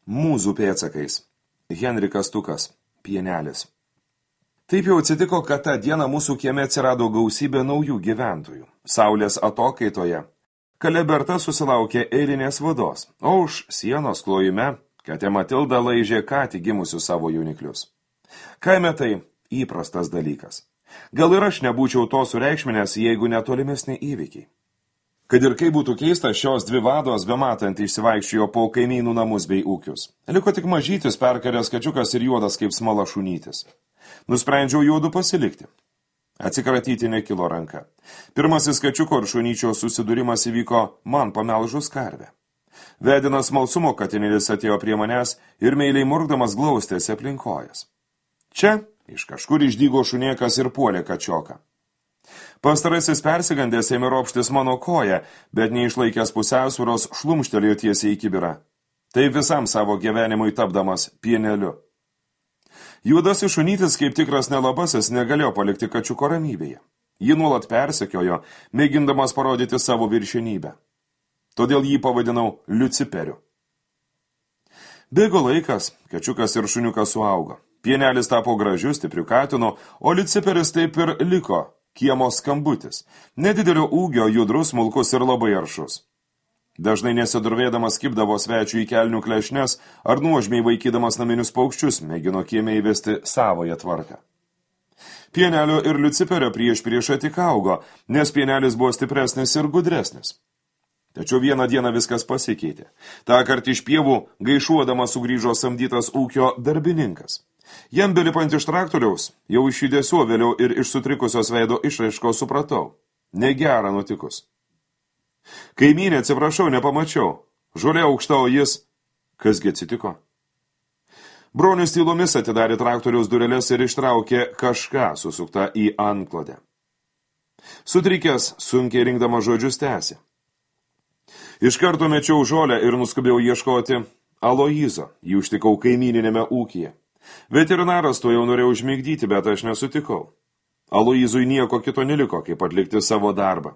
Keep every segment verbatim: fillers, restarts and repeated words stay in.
Mūzų pėdsakais. Henrikas Tukas. Pienelis. Taip jau atsitiko, kad tą dieną mūsų kieme atsirado gausybė naujų gyventojų. Saulės atokaitoje Kaleberta susilaukė eilinės vados, o už sienos klojime katė Matilda laižė ką tik gimusius savo jauniklius. Kaime tai įprastas dalykas. Gal ir aš nebūčiau to sureikšminęs, jeigu netolimesni įvykiai. Kad ir kaip būtų keista, šios dvi vados bematant išsivaikščiojo po kaimynų namus bei ūkius. Liko tik mažytis perkaręs kačiukas ir juodas kaip smala šunytis. Nusprendžiau juodu pasilikti. Atsikratyti nekilo ranka. Pirmasis kačiuko ir šunyčio susidūrimas įvyko man pamelžus karvę. Vedinas smalsumo katinėlis atėjo prie manęs ir meiliai murkdamas glaustėsi aplinkojas. Čia iš kažkur išdygo šunėkas ir puolė kačioką. Pastarasis persigandęs ėmė ropštis mano koją, bet neišlaikęs pusiausvyros šlumštelėjo tiesiai į kibirą. Tai visam savo gyvenimui tapdamas pieneliu. Juodasis šunytis, kaip tikras nelabasis, negalėjo palikti kačiuko ramybėje. Ji nuolat persekiojo, mėgindamas parodyti savo viršenybę. Todėl jį pavadinau Liuciperiu. Bėgo laikas, kačiukas ir šuniukas suaugo. Pienelis tapo gražiu, stipriu katinu, o Liuciperis taip ir liko. Kiemo skambutis. Nedidelio ūgio, judrus, smulkus ir labai aršus. Dažnai nesidurvėdamas kibdavo svečių į kelnių klešnes ar nuožmiai vaikydamas naminius paukščius, mėgino kieme įvesti savoją tvarką. Pienelio ir Liuciperio prieš priešą tik augo, nes pienelis buvo stipresnis ir gudresnis. Tačiau vieną dieną viskas pasikeitė. Ta kart iš pievų gaišuodamas sugrįžo samdytas ūkio darbininkas. Jam belipant iš traktoriaus, jau iš judesio vėliau ir iš sutrikusios veido išraiškos supratau. Negera nutikus. Kaimynė, atsiprašau, nepamačiau. Žolė aukšta, o jis... Kasgi atsitiko? Bronius tylomis atidarė traktoriaus dureles ir ištraukė kažką susuktą į antklodę. Sutrikęs, sunkiai rinkdama žodžius tęsė. Iš karto mečiau žolę ir nuskubėjau ieškoti Aloizo. Jį užtikau kaimyninėme ūkyje. Veterinaras to jau norėjo užmigdyti, bet aš nesutikau. Aloizui nieko kito neliko, kaip atlikti savo darbą.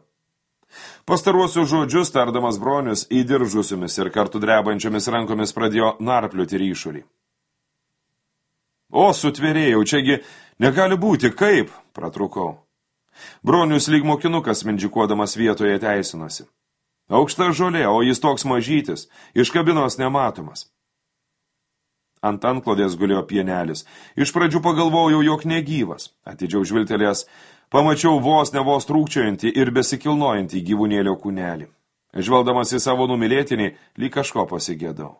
Pastaruosius žodžius tardamas bronius įdiržusiomis ir kartu drebančiomis rankomis pradėjo narplioti ryšulį. O, sutvėrėjau, čiagi negali būti, kaip, pratrukau. Bronius lyg mokinukas mindžikuodamas vietoje teisinosi. Aukšta žolė, o jis toks mažytis, iš kabinos nematomas. Ant antklodės gulėjo pienelis. Iš pradžių pagalvojau, jog negyvas. Atidžiau žvilgtelėjęs, pamačiau vos ne vos trūkčiojantį ir besikilnojantį gyvūnėlio kūnelį. Žvelgdamas į savo numylėtinį, lyg kažko pasigėdau.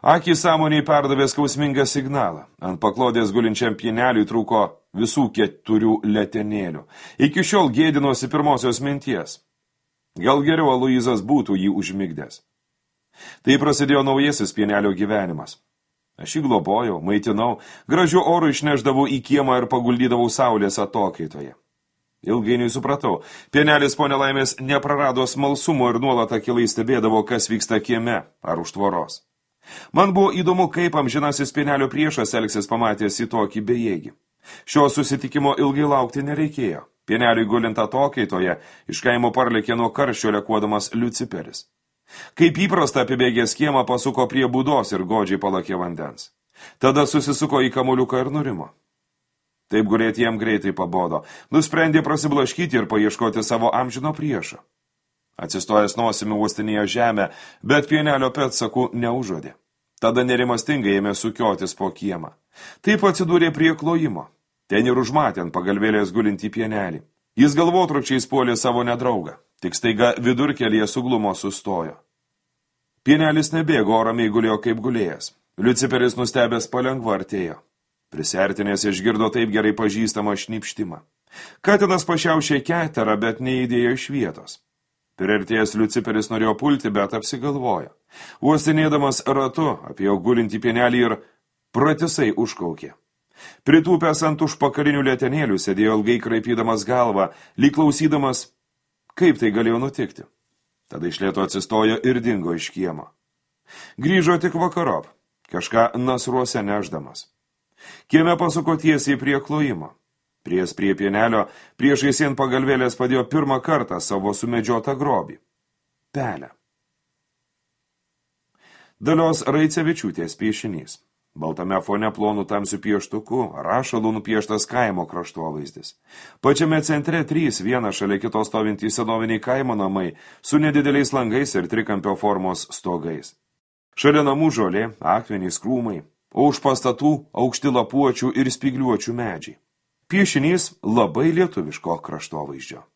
Akį sąmoniai perdavė skausmingą signalą. Ant paklodės gulinčiam pieneliui trūko visų keturių letenėlių. Iki šiol gėdinosi pirmosios minties. Gal geriau Aloizas būtų jį užmigdęs. Tai prasidėjo naujasis pienelio gyvenimas. Aš jį globojau, maitinau, gražiu oru išneždavau į kiemą ir paguldydavau saulės atokaitoje. Ilgainiui supratau, pienelis po nelaimės neprarado smalsumo ir nuolat akylai stebėdavo, kas vyksta kieme ar už tvoros. Man buvo įdomu, kaip amžinasis pienelio priešas elgsis pamatęs į tokį bejėgį. Šio susitikimo ilgai laukti nereikėjo. Pieneliui gulint atokaitoje, iš kaimo parlėkė nuo karščio lekuodamas Liuciperis. Kaip įprasta apibėgęs kiemą pasuko prie būdos ir godžiai palakė vandens. Tada susisuko į kamuliuką ir nurimo. Taip gulėti jam greitai pabodo. Nusprendė prasiblaškyti ir paieškoti savo amžino priešo. Atsistojęs nosimi uostinėjo žemę, bet pienelio pėdsakų neužuodė. Tada nerimastingai ėmė sukiotis po kiemą. Taip atsidūrė prie klojimo. Ten ir užmatė ant pagalvėlės gulintį pienelį. Jis galvotrukčiais puolė savo nedraugą. Tik staiga vidurkelyje suglumo sustojo. Pienelis nebėgo, o ramiai gulėjo kaip gulėjęs. Liuciperis nustebęs palengva artėjo. Prisiartinės išgirdo taip gerai pažįstamą šnipštimą. Katinas pašiaušė keterą, bet neįdėjo iš vietos. Priartėjęs Liuciperis norėjo pulti, bet apsigalvojo. Uostinėdamas ratu apie jo gulintį pienelį ir pratisai užkaukė. Pritūpęs ant užpakalinių letenėlių sėdėjo ilgai kraipydamas galvą, lyg klausydamas, kaip tai galėjo nutikti. Tada iš lėto atsistojo ir dingo iš kiemo. Grįžo tik vakarop, kažką nasruose neždamas. Kieme pasuko tiesiai prie klojimo. Pries prie pienelio, priešais ant pagalvėlės padėjo pirmą kartą savo sumedžiotą grobį – pelę. Dalios Raicevičiūtės piešinys. Baltame fone plonų tamsių pieštukų, rašalų nupieštas kaimo kraštovaizdis. Pačiame centre trys, vienas šalia kitos stovintys senoviniai kaimo namai su nedideliais langais ir trikampio formos stogais. Šalia namų žolė, akmenys, krūmai, o už pastatų aukšti lapuočių ir spygliuočių medžiai. Piešinys labai lietuviško kraštovaizdžio.